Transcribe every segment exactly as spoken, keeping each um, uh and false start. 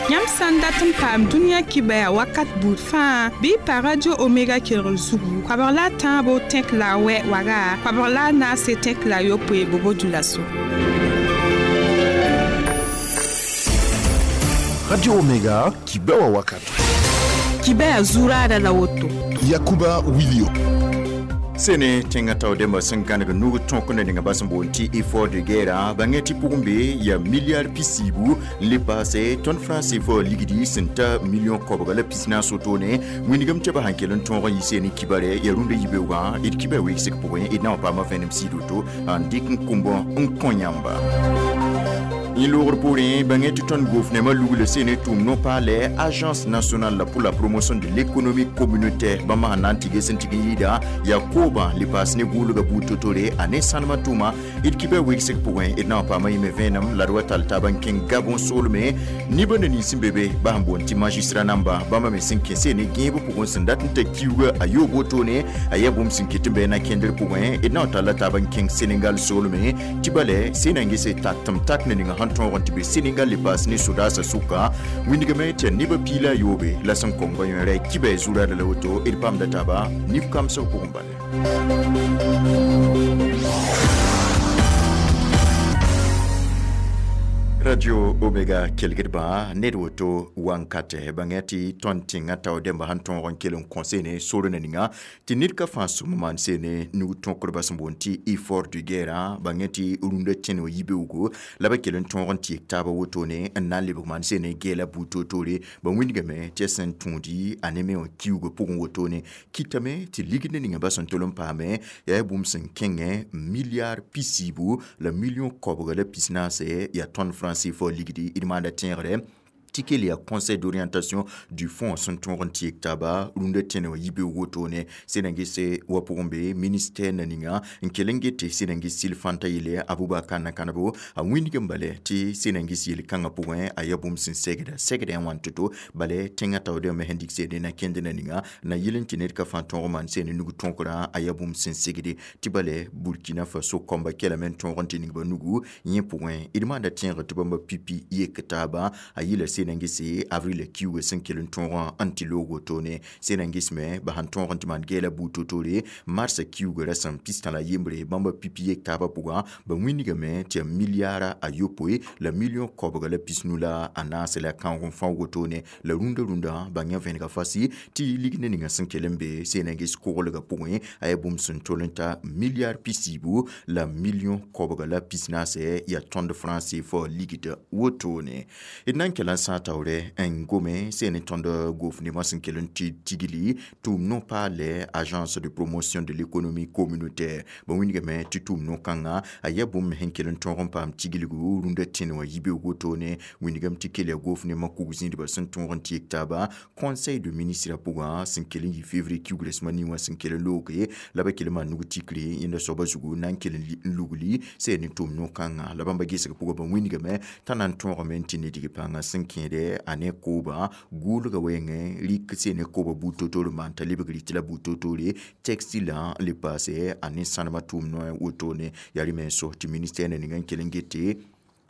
Yãmb sã n dat n paam dũniyã kibaya wakat buud fãa bɩ y pa Radio Omega kelgr zugu koabg la a tãabo tẽk la a wɛ waga koabg la a naase tẽk la a yopoe bobo dulaso. Radio Omega kibewa wakati. Kibaya zurada la woto. Yakuba Wilio. Sene tẽngã tao dẽmbã sẽn gãneg nug tõk ne ninga bas n boond tɩ effort de guerre bãngẽ tɩ pʋgẽ be yaa milliard pisiibu n le paase tõnd franc C F A ligdi sẽn ta million koabga la pis-naas wotone wĩndgame tɩ b sãn kell n tõog n yɩ sene kibare yaa rũndã yibeoogã d kiba wegsg pʋgẽ d na n paama vẽenem sɩd woto n dɩk n kũmbã n kõ yãmba. Yẽ loogr poorẽ bãngẽ tɩ tõnd gofnema lugl sene tʋʋm no-paalɛ Agence nationale pour la promotion de l'économie communautaire bãmba sẽn na n tɩ ges n tɩg n yɩɩda yaa koobã le paas ne gʋʋlga buud to-tore a ne sãnemã tʋʋma d kiba wegsg pʋgẽ d na n paama yĩme vẽenem la d wa tall taab n kẽng Gabon soolme nibã ne nins sẽn be be ba sẽn boond tɩ magistrat namba bãmba me sẽn kẽ sene gẽeb pʋgẽ sẽn dat n ta kiuga a yoob wotone a yaa bũmb sẽn ket n bɩ na kẽndr pʋgẽ d na n talla taab n kẽng Senegal soolme tɩ bala sẽn na n gese tak tɩm tak ne ninga sẽn tõog n tɩ be Senegal le paas ne sodaasã sʋka wĩndgame tɩ yaa nebã piila a yoobe la sẽn kõnga yõera kiba zurada la woto d paamda taaba nif kamsg pʋgẽ bale. Radio Omega kelgdbã ned woto wankatɛ bãngẽ tɩ tõnd tẽngã tao dẽmba sẽn tõog n kell n kõ sene sor na ninga tɩ ned ka fãa sũm maan sene nug tõkdbã sẽn boond tɩ effort de guerre bãngẽ tɩ rũndã tẽn wã yibeoogo la ba kell n tõog n tɩ yek taabã wotone n na n lebg maan sene gɛɛla buud toor-toore ba wĩndgame tɩ ya sẽn tũudi a ne me wã kiuugã pʋgẽ wotone kɩtame tɩ ligd ne ninga ba sẽn tol n paame yaa bũmb sẽn kẽngẽ milliard pisiibu la million koabga la pis-naase yaa tõnd franc C F A ligdi d maanda tẽegre tɩ kell yaa conseil d'orientation du fonds sẽn tõog n tɩ yek taaba rũndã tẽne wã yibeoog wotone sẽn na gese wa pʋgẽ be ministère na ninga n kell n gete sẽn na ges sɩl fãnta yele Abubakar Nakanabo a wĩndg n bale tɩ sẽn na ges yel-kãngã pʋgẽ a yaa bũmb sẽn segda segda yã wãn to-to bale tẽngã taoodã me sẽn dɩk seede na kẽnd na ninga na yɩl n tɩ ned ka fãa tõog maan sene nug tõkrã a yaa bũmb sẽn segde tɩ bale Burkina Faso kɔmba kɛlame n tõog n tɩ ning ba nugu yẽ pʋgẽ d maanda tẽegr tɩ bãmba pipi yek taaba a yɩla sẽn na gese avril kiuga sẽn kell n tõog n tɩ loog wotone sẽn na gesme ba sẽn tõog n tɩ maan gɛɛla buud to-toore mars kiuga rasem pistã la yembre bãmba pipi yek taabã pʋgã ba wĩndgame tɩ yaa milliara a yopoe la million koabga la pisnu la a naase la kãoog n fão wotone la rũndã rũndã ba yã vẽnega fasi tɩ ligd ne ninga sẽn kell n be sẽn na ges koglgã pʋgẽ a yaa bũmb sẽn tol n ta milliard pisiibu la million koabga la pis-naase yaa tõnd franc C F A ligd wotone d na n kell n sã taoore n gome sẽn tõnd gofnemã sẽn kell n tɩ tigli tʋʋm no-paalɛ Agence de promotion de l'économie communautaire ba wĩndgame tɩ tʋʋm no-kãngã a yaa bũmb sẽn kell n tõog n paam tiglgu rũndã tẽne wã yibeoog wotone wĩndgame tɩ kell yaa gofnemã kug zĩidbã sẽn tõog n tɩ yek taaba conseil de ministre pʋgã sẽn kell n yɩ février kiugrã sẽma ning wã sẽn kell n looge la ba kell n maan nug tikre yẽnda soabã zugu na n kell n lugli sẽn ne tʋʋm no-kãngã la bãmba gesg pʋgã ba wĩndgame t'a na n tõogame n tɩ nedg pãngã sẽn kẽede a ne kooba gʋʋlga wɛɛngẽ rɩk sẽn ne kooba buud to-toor maan t'a lebg rɩt la buud to-toore textile n le paase a ne sãnemã tʋʋm noɛ wotone yaa rẽ me so tɩ ministère na ninga n kell n gete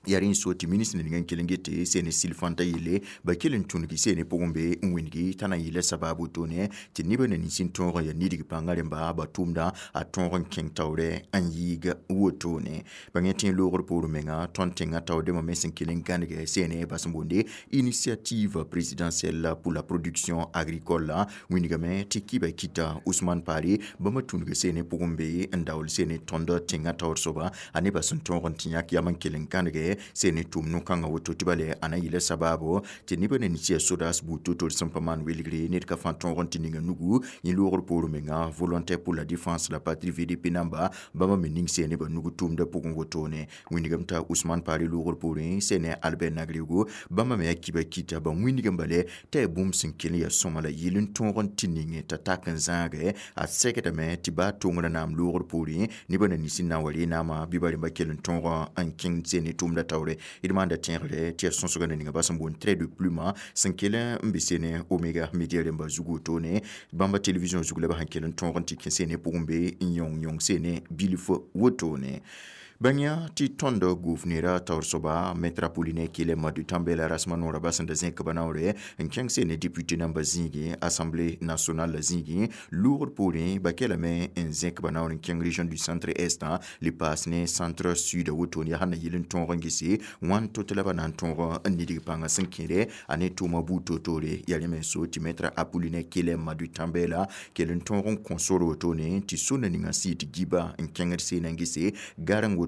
yaa rẽ n so tɩ ministre ninga n kell n gete sẽn ne sɩl fãnta yelle ba kell n tũngi sẽn ne pʋgẽ be n wĩndgi t'a na n yɩla sabab wotone tɩ nebã na nins n tõog n yaa nidg pãngã rẽmba ba tʋʋmda a tõog n kẽng taoorɛ n yɩɩg wotone bãngẽ tẽ loogr poor menga tõnd tẽngã taoodẽmã me sẽn kell n gãneg sẽne bas n boonde Initiative présidentielle pour la production agricole wĩndgame tɩ kɩba kɩta Ousmane Pare bãmba tũnug sẽne pʋgẽ be n daool sẽne tõnd tẽngã taoor soaba a nebã sẽn tõog n tɩ yãk yam n kell n gãneg sẽn tʋʋm no-kãngã woto tɩ bale a na yɩla sabaabo tɩ nebã na nins yaa sodaas buud to-toor sẽn pa maan welgre ned ka fãa tõog n tɩ ninga nugu yẽ loogr poor menga Volontaire pour la défense la patrie V D P namba bãmba me ning sẽne ba nug tʋʋmdã pʋgẽ wotone wĩndgame t'a Ousmane Pare loogr poorẽ sẽne Albert Nagrego bãmba me yaa kiba kɩta ba wĩndgame bale t'a yaa bũmb sẽn kell n yaa sõma la yɩl n tõog n tɩ ninge t'a tak n zãage a segdame tɩ baa tongrã naam loogr poorẽ nebã na nins n na n wa ree naamã bɩ ba rẽmba kell n tõog n kẽng sẽne tʋʋmdã taoore d maanda tẽegre tɩ yaa sõsgã na ninga ba sẽn boond trait de plume sẽn kell n be sene Omega Media rẽmba zug wotone bãmba télévision zug la ba sẽn kell n tõog n tɩ kẽ sene pʋgẽ be n yõng yõng sene bilf wotone. Bãng tɩ tõnd gʋʋf-neerã taoor soaba Maître Apollinaire Kyelem Madu Tambɛ la rasmã noorã bas n da zẽk ba naoore n kẽng sene député namba zĩigẽ Assemblée nationale la zĩigẽ loogr poorẽ ba kelame n zẽk ba naoor n kẽng région du centre est le paas ne centre sud wotone yaa sẽn na yɩl n tõog n gese wãn to-tɩ la ba na n tõog n nidg pãngã sẽn kẽede a ne tʋʋma buud toor-toore yaa rẽ me so tɩ Maître Apollinaire Kyelem Madu Tambɛ la kell n tõog n kõ sor wotone tɩ sũnã ninga sɩɩ tɩ giba n kẽngd seenã n gese gareng wotone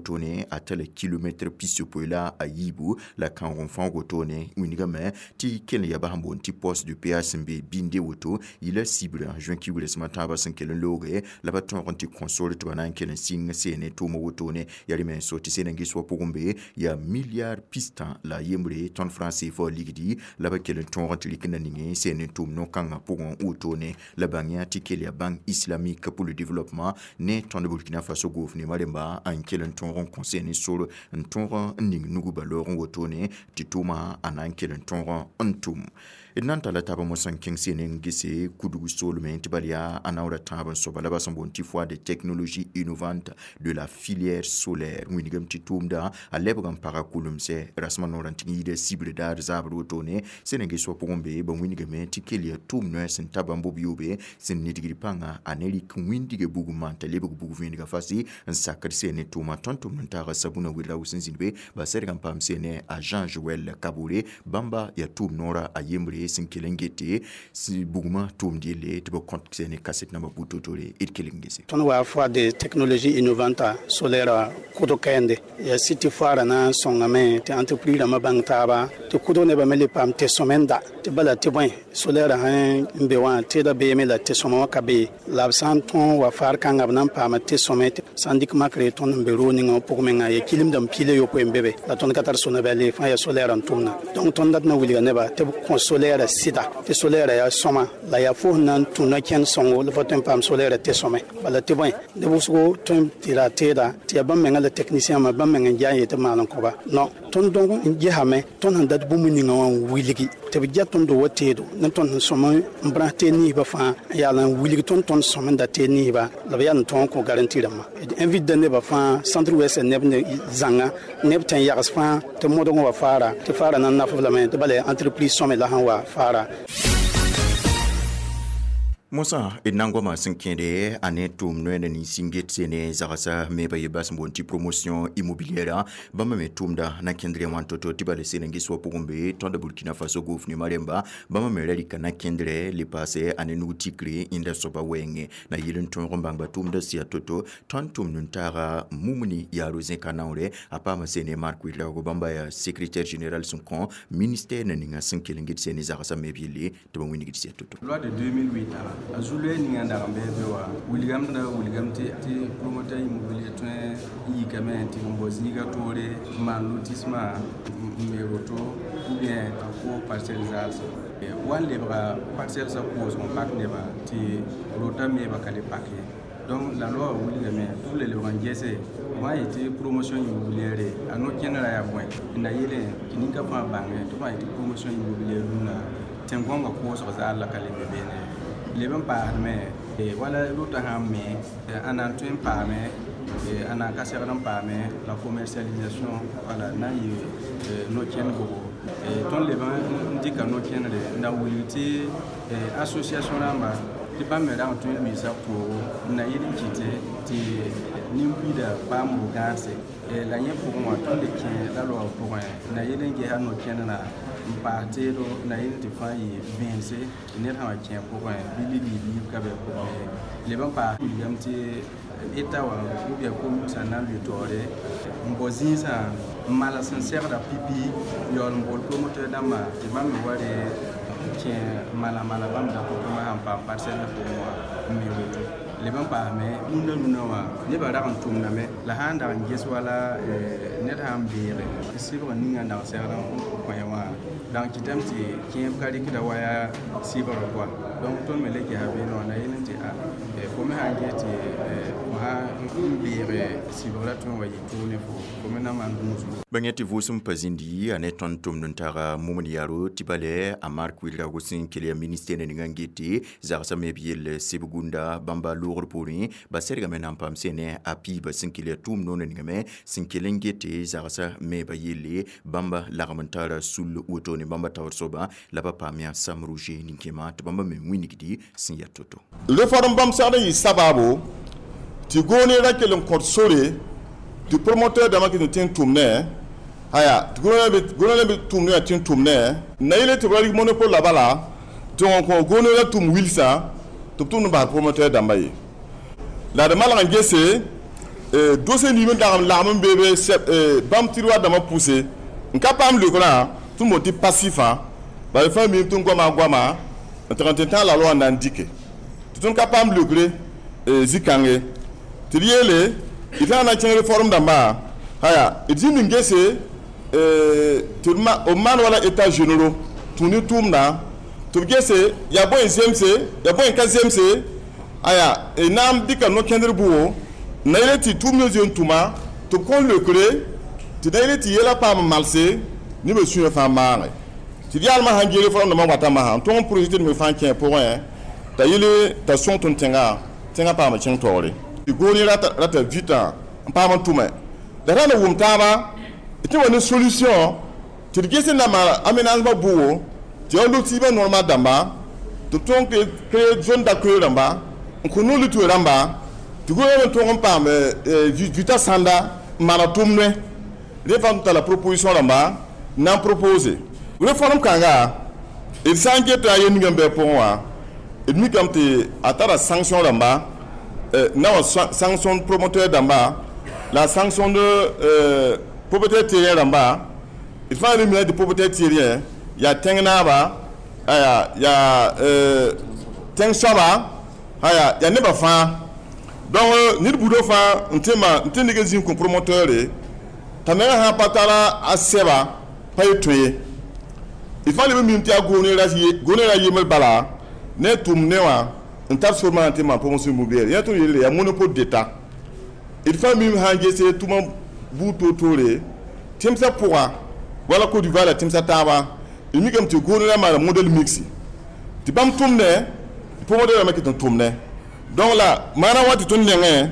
a tala kilomɛtr pis-yopoe la a yiibu la kãoog n fãoog wotone wĩnigame tɩ kell n ya bas n boond tɩ poste de péage sẽn be binde woto yɩla sibrã juin kiugrã sẽm a tãabã sẽn kell n looge la ba tõog n tɩ kõ sore tɩ ba na n kell n sɩng seene tʋʋmã wotone yaa rẽ me so tɩ seen n ges wã pʋgẽ be yaa milliard pistã la a yembre tõnd franc C F A ligdi la ba kell n tõog n tɩ rɩk na ninge seen n tʋʋm no-kãngã pʋgẽ wotone. La bãng yã tɩ kell yaa Banque islamique pour le développement ne tõnd Burkina Faso gʋʋf nemã rẽmba n kell n tõog n kõ seen sor n tõog n ning nugu ba loog n wotone tɩ tʋʋma a na n kell n tõog n tʋm. D na n tala taaba mosã n kẽng seen n gese kudg soolmẽ tɩ bal yaa a naoora tãab n soaba la ba sẽn boond tɩ foire de technologie innovante de la filière solaire wĩnigame tɩ tʋʋmda a lebg n paga kʋlemsɛ rasmã noorã n tɩg n yida sibr daar zaabr wotone. Sẽn n ges wã pʋgẽ be ba wĩnigame tɩ kell yaa tʋʋm noɛɛ sẽn ta bãmb b yoobe sẽn nidgd pãnga a ne rɩk wĩndiga bugum maan t'a lebg bug vẽenega fasi n sakd seen ne tʋʋma. Tõnd tʋmd n taaga Sabuna Wɩrra sẽn zĩnd be ba sɛdg n paam seene a Jean Joel Kabore bãmba yaa tʋʋm noorã a yembre sẽn kell n gete bugmã tʋʋmd yelle tɩ b kõt seene kaset nambã buud to-toore d kell n gese. Tõnd wa foire de technologie innovante solaire kʋdg kɛɛnde ya sɩ tɩ foaarã na n sõngame tɩ entreprise rãmbã bãng taaba tɩ kʋdg nebã me le paam tɩ sõmenda tɩ bala tɩ bõe solaire sẽn n be wã tɩda beeme la tɩ sõma wã ka be la b sã n tõog wa faar kãnga b na n paama tɩ sõme sã n dɩk makre tõnd n be roog ninga wã pʋg menga ya kilimdame pila yopoe n be be la tõnd ka tar sonabɛl fãa ya solaire n tʋmna. Donc tõnd dat na wilga nebã tɩ b kõ solaire sɩda tɩ solaire yaa sõma la yaa fo sẽn na n tũ no-kẽnd sõngo la fo tõe n paam solaire tɩ sõme bala tɩ bõe neb wʋsgo tõe n tɩ ra teeda tɩ yaa bãmb menga la technicien ma bãmb meng n ja n yetɩ b maan n kõba non tõnd dõg n gesame tõnd sẽn dat bũmb ninga wã n wilgi tɩ b ja tõndo wa teedo ne tõnd sẽn sõm n brãs teed ninsbã fãa n yaal n wilg tõnd tõnd sõm n da teed ninsba la b yaa n tõog n kõ garantie rãmbã. Invite da nebã fãa centre ouest neb ne zãnga neb tẽn yags fãa tɩ modg n wa faara tɩ faara na n naf b lame tɩ bala yaa entreprise sõme la sẽn wa faara. Mosã d na n goama sẽn kẽede a ne tʋʋm noɛɛna nins n get sene zagsa me ba yebas sẽn boond tɩ promotion immobilière bãmba me tʋʋmda na kẽndrẽ wãn to-to tɩ bala seen n ges wã pʋgẽ be tõnd Burkina Faso gʋʋf nemã rẽmba bãmba me ra rɩka na kẽndrɛ le paase a ne nug tikre yẽnda soaba wɛɛngẽ na yɩl n tõog n bãngba tʋʋmda sɩya to-to. Tõnd tʋmd n taaga Mumuni Yaaro zẽka naoore a paama sene Mark Ouedraogo bãmba yaa secrétaire général sẽn kõ ministère na ninga sẽn kell n get sene zagsã me b yelle tɩ ba wĩnigd sɩya to-to. Loi de deux mille huit a zu-loɛɛ ninga n dag n bɩ be wa wilgame da wilgame tɩ tɩ promoteur immobilier tõe n yikame tɩ n bao zĩiga toore n maan lotissement n me roto ou bien a ko parcelle zaalsã wa n lebga parcelle sã koosg n pak nebã tɩ rota meebã ka le pak ye. Donc la loi wilgame tɩ b le lebg n gese wã yetɩ promotion immobilière a no-kẽnerã yaa bõe n na yeelẽ tɩ ninka fãa bãnge tɩ b sã yetɩ promotion immobilière rũnã tẽn-gõngã koosg zaal la ka le be beene leb n paasdme wala rota sã n me a na n tõe n paame a na n ka segd n paame la commercialisation wala na n yɩ no-kẽnd gogo. Tõnd leb n dɩka no-kẽnere n da wilg tɩ association rãmba tɩ bãmb me rag n tõe n luiisa poogo n na yɩl n kɩte tɩ nin-buiida paam bo gãagse la yẽ pʋgẽ wã tõnd le kẽ la loa pʋgẽ n na yɩl n gesa no-kẽnerã n paas teedo na yɩl tɩ fãa yɩ vẽense tɩ ned sã wa kẽ pʋgẽ bɩ ligd biib ka bɩ pʋgẽ leb n paas wilgame tɩ État wã ou bien commune sã n na n lʋɩ taoore n bao zĩisã n mals n segda pipi yaool n bool promoteur dãmbã tɩ bãmb me wa re kẽ mala mala bãmb da pʋgẽ sãn paam parcelle pʋgẽ wã n me woto leb n paasme rũndã rũndã wã nebã rag n tʋmdame la sã n dag n ges wala. ned sãn beege tɩ sɩbg ninga n dag segd n kõ ya wã dag kɩtame tɩ kẽeb ka rɩkda wa yaa sɩbgrã pʋga donc tõnd me le gesa beene wã na yel n tɩ a fo me sãn ges tɩ fo sã n beege sɩbgrã tõe n wa yɩ tʋʋg ne fo fo me na maan gũusgo bãng tɩ vʋʋsem pa zĩndi a ne tõnd tʋmd n taga mumd yaro tɩ bale a Mark Ouedraogo sẽn kell yaa ministɛr ninga n gete zagsã me b yell sɩb gũnda bãmba loogr poorẽ ba sɛdgame na n paam sẽne a piiba sẽn kell yaa tʋʋm noonã ningame sẽn kell n gete zagsã me ba yelle bãmba lagm n tara sul wotone bãmba taoor soaba la ba paam yaa Sam Roger nin-kẽema tɩ bãmba me wĩnigdi sẽn yaa to-to réforme bãmb segd n yɩ sabaabo tɩ goone ra kell n kõt sore tɩ promoteur dãmbã kɩt n tẽ n tʋm ne aya tɩ gũnã be tʋmd yã tẽ n tʋm ne na yele tɩ b ra rɩk monopole la bala tɩ wã kõ goone ra tʋm wilsã tɩ b tʋmd n bas promoteur dãmbã ye la d malg n gese dossier nim n dag n lagm n beebe bãmb tiroir dãmbã pʋse n ka paam leokrã tɩ n boond tɩ passifã bala fãa miime tɩ n goama goama n tɩg n tɩ tãag la loi n na n dike tɩ tõnd ka paam leokre zĩ-kãnge tɩ d yeele d tãag na n kẽng réforme dãmbã aya d zĩnd n gese tɩ b maan wala état généraux tũ ne tʋʋmdã tɩ b gese yaa bõe n zemse yaa bõe n ka zemse aya na n dɩka no-kẽndr bʋgo na yele tɩ tʋʋm ne zoe n tʋma tɩ b kõn leokre tɩ na yele tɩ yɛla paam n malse nebã sũyã fãa maage tɩ d yaalmã sãn gee réforme dãmbã wata masã n tõg n projet tɩ d me fãa kẽ pʋgẽ t'a yele t'a sõng tõnd tẽnga tẽngã paam n kẽng taoore tɩ goone rata vita n paam n tʋme la ra na wʋm taaba tɩ wa ne solution tɩ d ges n na maan aménagement bʋgo tɩ yaa lotissement normal dãmba tɩ b tõog créer zone d'accueil rãmba n kõ no-lito rãmba tɩ gũudã n tõog n paam vita sãnda n maana tʋmdẽ rẽ fãa tɩ tara proposition rãmba n na n propose réforme kãnga d sã n geta yel ninga n bɩ a pʋgẽ wã d mikame tɩ a tara sanction rãmba na wa sanction promoteur dãmba la sanction de euh, propriétaire terrien rãmba d fãa re mina tɩ propriétaire terrien yaa tẽng naaba aya yaa tẽng soaba aya yaa nebã fãa donc ned buudã fãa n tɩ ma n tɩ neg n zĩig kõ promoteur t'a menga sã pa tara a sɛba pa ye tõe ye d fãa leb n mim tɩ yaa goone ra yembr bala ne tʋm ne wã n tar sor maana tɩ maan promotion immobilière yã tõnd yelle yaa monopole d'état d fãa mim sã n gese tʋma buud toor-toore tẽmsã pʋga wala Côte d'Ivoire la tẽmsã taaba d mikame tɩ goone ra maana modèle mixte tɩ bãmb tʋmdẽ promoteur rãmbã ket n tʋmdẽ donc la maana wa tɩ tõnd nengẽ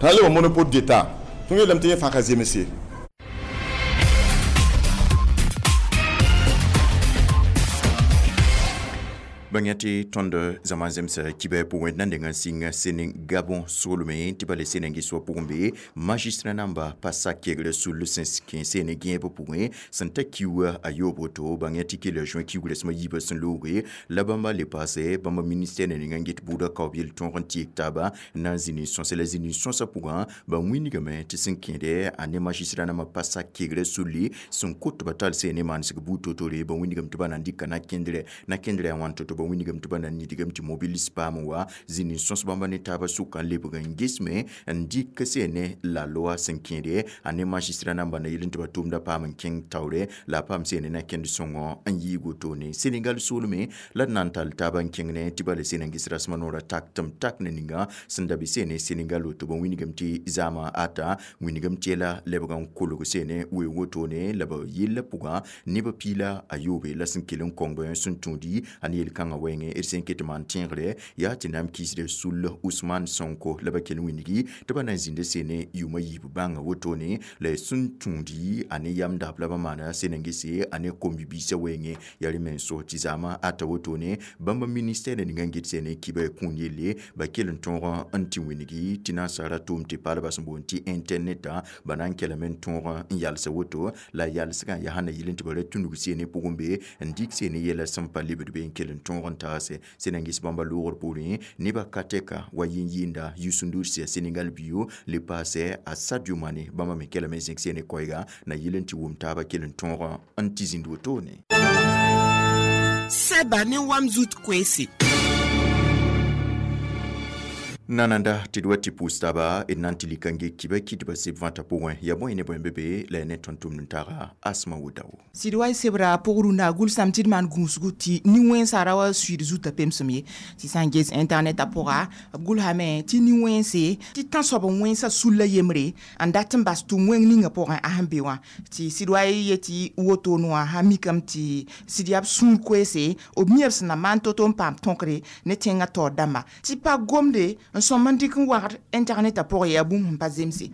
t'a lebg monopole d'état tõnd yeelame tɩ yẽ fãa ka zemse. Bãng tɩ tõnd zãma zemsa kibɛ pʋgẽ d na n deng n sɩng Séné Gabon soolmẽ tɩ bala Sénengis wã pʋgẽ be magistrat namba pa sak kegrã sul sẽn kẽ sene gẽeb pʋgẽ sẽn ta kiuga a yoob woto bãng tɩ kell juin kiugrã sẽm yiibã sẽn looge la bãmba le paase bãmba ministɛr ninga n get buudã kaoob yel-tõog n tɩ taaba n na n zĩni sõsa la zĩni sõsã pʋgã ba wĩnigame tɩ sẽn kẽede a ne magistrat nambã pa sak kegrã sulli sẽn kot ba tall sene maansg buud to-tore ba wĩnigame tɩ ba na n dɩka na-kẽndrɛ na-kẽndrɛ a wãn to-to ba wĩnigame tɩ ba na n nidgame tɩ mobilis paam wa zĩni sõs bãmba ne taabã sʋka n lebg n gesme n dɩk sene la loi sẽn kẽede a ne magistrat namba na yel n tɩ ba tʋʋmda paam n kẽng taoore la a paam sene na kẽnd sõngɔ n yɩɩg wotone Senegal soolme la d na n tall taabã n kẽng ne tɩ bala Senengis rasmã noorã tak tɩm tak ne ninga sẽn da bɩ sene Senegal woto ba wĩnigame tɩ zaamã ata wĩnigame tɩ yɛla lebg n kolg sene weoog wotone la ba yella pʋgã nebã piila a yoobe la sẽn kell n kõng sẽn tũudi a ne yel-kãngã wɛɛngẽ d sẽn ket maan tẽegre yaa tɩ na n kisde sul Ousmane Sonko la ba kell wĩnigi tɩ ba na n zĩnda sene yʋʋmã yiib bãnga wotone la sẽn tũudi a ne yam dab la ba maana Senengise a ne kom-bibiisã wɛɛngẽ yaa rẽ menso tɩ zaamã ata wotone bãmba ministɛr ninga n get sene kibã kũun yelle ba kell n tõog n tɩ wĩnigi tɩ nasaara tʋʋm tɩ paalbã sẽn boond tɩ intɛrnɛtã ba na n kelame n tõog n yalsa woto la yalsgã yaa sãn na yɩl n tɩ ba ra tũnug sene pʋgẽ be n dɩk sene yɛla sẽn pa lebd be n kell n tõog n taase Senengis bãmba loogr poorẽ nebã ka tɛka wa yĩn-yɩɩnda Youssou N'Dour sẽn yaa Senegal bio le paasɛ a Sadio Mané bãmba me kelame n zẽk sene koɛɛga na yɩl n tɩ wʋm taabã kell n tõog n tɩ zĩnd wotone. Sɛba ne wam zut koeese. Nananda tɩ d wa tɩ pʋʋs taaba d na n tɩ lika n ge kiba kɩtbã seb vãta pʋgẽ ya bõe ne bõe be be la ya ne tõnd tʋmd n taga Asma Wudao. Sɩd wa y sebra pʋg rũndã gʋlsame tɩ d maan gũusgu tɩ nin-wẽnsã ra wa suiid zutã pemsem ye tɩ sã n ges internet a pʋga b gʋlsame tɩ nin-wẽnse tɩ tãnsoab n wẽnsa sulla yembre n dat n bas tʋm wẽng ninga pʋgẽ a sẽn be wã tɩ sɩd wa y yetɩ woto wã sã mikame tɩ sɩd yaa b sũur koeese b mia b sẽn na maan to-to n paam tõkre ne tẽngã taoor dãmba tɩ pa gomde n sõm n dɩk n wagd internet a pʋgẽ yaa bũmb sẽn pa zemse.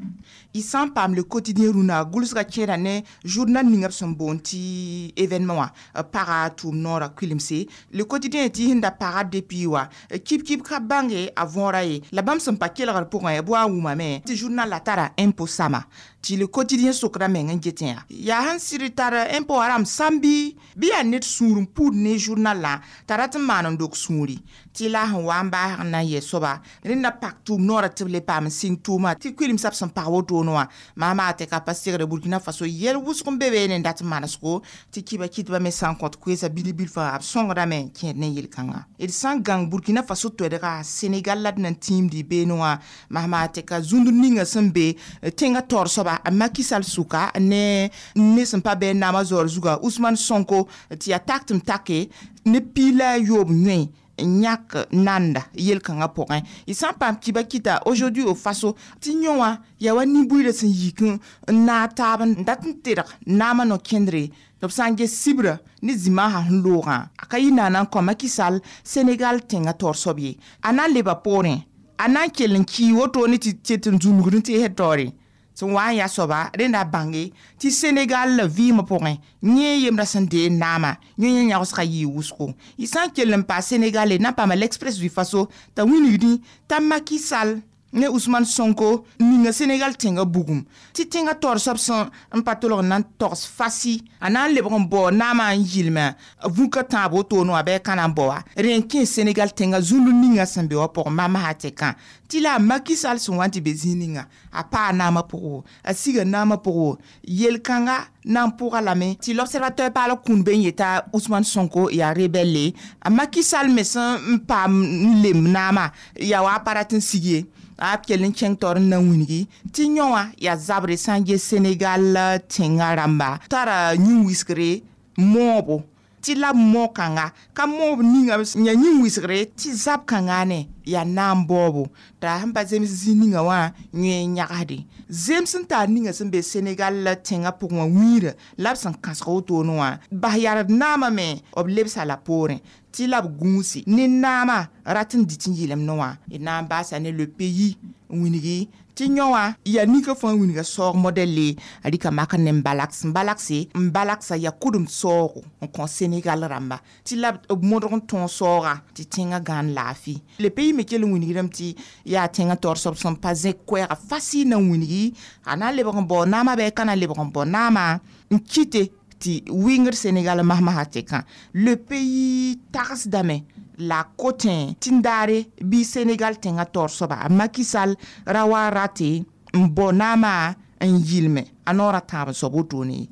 Y sã n paam Le Quotidien rũnã gʋlsgã kẽeda ne journal ninga b sẽn boond tɩ événement wã paga tʋʋm noorã kuilemse. Le Quotidien tɩ sẽn da paga depuis wã kib-kib ka bãnge a võora ye la bãmb sẽn pa kelgr pʋgẽ b wa n wʋmame tɩ journal la tara impôt sama tɩ Le Quotidien sokda meng n getẽ yaa yaa sẽn sɩd tar impôt wã rãmb sãm bɩ bɩ yaa ned sũur n puud ne journal la t'a rat n maan n dok sũuri tɩ la sẽn wa n baasg n na n yɛ soaba rẽnda pak tʋʋm noorã tɩ b le paam n sɩng tʋʋma tɩ kuilemsã b sẽn pag wotone wã maama tɩ ka pa segre Burkina Faso yɛl wʋsg n be be ne n dat n manesgo tɩ kiba kɩtbã me sã n kõt koeesa bil-bilfã b sõngdame n kẽed ne yel-kãngã. D sã n gãng Burkina Faso toɛdga Senegal la d na n tĩimdi beene wã masma tɩ ka zũnd ninga sẽn be tẽngã taoor soaba Macky Sall sʋka ne ne sẽn pa bɩ naamã zaoor zuga Ousmane Sonko tɩ yaa tak tɩ m take ne piig la a yoob yõe yãk nanda yel-kãngã pʋgẽ. Y sã n paam kiba kɩta aujourd'hui au Faso tɩ yõ wã yaa wa nin-buiidã sẽn yik n naag taab n dat n tedg naamã no-kẽndre tɩ b sã n ges sibra ne zĩmaasã sẽn loogã a ka yɩ naana n kõ Macky Sall Senegal tẽngã taoor soab ye a na n leba poorẽ a na n kell n kii woto ne tɩ tet n zũnugd n teesd taoore sẽn wa n yaa soaba rẽnda bãnge tɩ Senegal la vɩɩmã pʋgẽ yẽ yembrã sẽn dee naama yẽ yẽ yãgsgã yɩɩ wʋsgo. Y sã n kell n paa Senegal na n paama l'Express du Faso t'a wilgdẽ t'a Macky Sall ne Ousmane Sonko ninga Senegal tẽngã bugum tɩ tẽngã taoor soab sẽn n pa tolg n na n togs fasi a na n lebg n bao naamã n yɩlme vũka tãab wotone wã bɩ a ka na n bao wa rẽ n kẽ Senegal tẽngã zũnd ninga sẽn be wã pʋgẽ mamsã tɩ kã tɩ la a Macky Sall sẽn wa n tɩ be zĩig ninga a paa naamã pʋgẽ a siga naamã pʋgẽ yel-kãnga na n pʋga lame tɩ l'Observateur paal kũun be n yeta Ousmane Sonko yaa rebelle a Macky Sall me sẽn n paam n lem naamã yaa wa a pa rat n sig ye a b kell n kẽng taoor n na wilgi tɩ yõ wã yaa zabre sã n ges Senegal tẽngã rãmba tara yĩn-wiskre moobo tɩ la b mao-kãnga ka moob ninga yã yĩn-wisgre tɩ zab kãnga ne yaa naam baoobo t'a sẽn pa zems zĩ ninga wã yẽ n yãgsde zems sẽn taar ninga sẽn be Senegal tẽngã pʋgẽ wã wĩirã la b sẽn kãsg wotone wã bas yard naamã me b lebsa la poorẽ tɩ la b gũusi ne naamã rat n dɩt n yɩlemdẽ wã d na n baasa ne Le Pays n wilgi tɩ yõ wã yaa nika fãa wilga saoog modɛlle a rɩka mak ne n balaks n balakse n balaksa yaa kʋdem saoogo n kõ Senegal rãmba tɩ la b modg n tõog saooga tɩ tẽngã gãan laafɩ. Le Pays me kell n wilgdame tɩ yaa tẽngã taoor soab sẽn pa zẽk koɛɛga fasɩ na n wilgi a na n lebg n bao naamã bɩ a ka na n lebg n bao naamã n kɩte tɩ wɩngd Senegal masmasã tɩ kã. Le Pays tagsdame la kotẽ tɩ n daare bɩ Senegal tẽngã taoor soaba a Macky Sall ra wa rate n bao naamã n yɩlme a noorã tãab n soab wotone ye.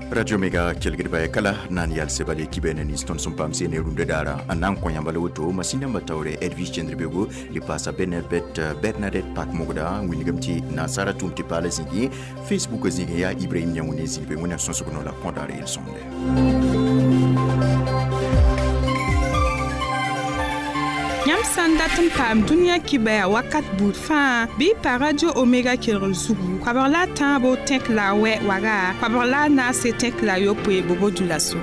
Radio Mega kelgdba ya kala nan yal sebale kibene ni ston sum pam sene runde dara an nan ko yambala woto masina batawre Edwige Chendrebego li pasa Benebet Bernadette Pak Mogda winigam ti nasara tum ti pala zigi Facebook zigi ya Ibrahim Nyaoune zigi be wona sonsogono la kondare il sonde. Yãmb sã n dat n paam dũniyã kibaya wakat buud fãa bɩ pa Radio Omega kelgr zugu koabg la a tãabo tẽk la a wɛ waga koabg la a naase tẽk la a yopoe bobo dula so.